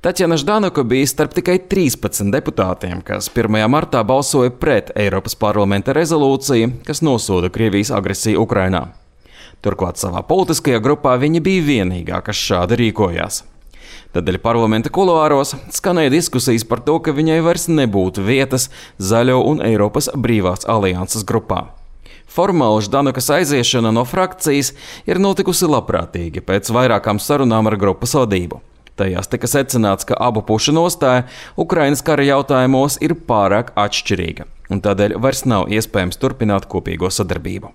Taķjana Ždanoka bija starp tikai 13 deputātiem, kas 1. martā balsoja pret Eiropas parlamenta rezolūciju, kas nosoda Krievijas agresiju Ukrainā. Turklāt savā politiskajā grupā viņa bija vienīgā, kas šādi rīkojās. Tādēļ parlamenta kuluāros skanēja diskusijas par to, ka viņai vairs nebūtu vietas Zaļo un Eiropas brīvās alianses grupā. Formāli Ždanokas aiziešana no frakcijas ir notikusi labprātīgi pēc vairākām sarunām ar grupas vadību. Tajās tika secināts, ka abu pušu nostāja Ukrainas kara jautājumos ir pārāk atšķirīga, un tādēļ vairs nav iespējams turpināt kopīgo sadarbību.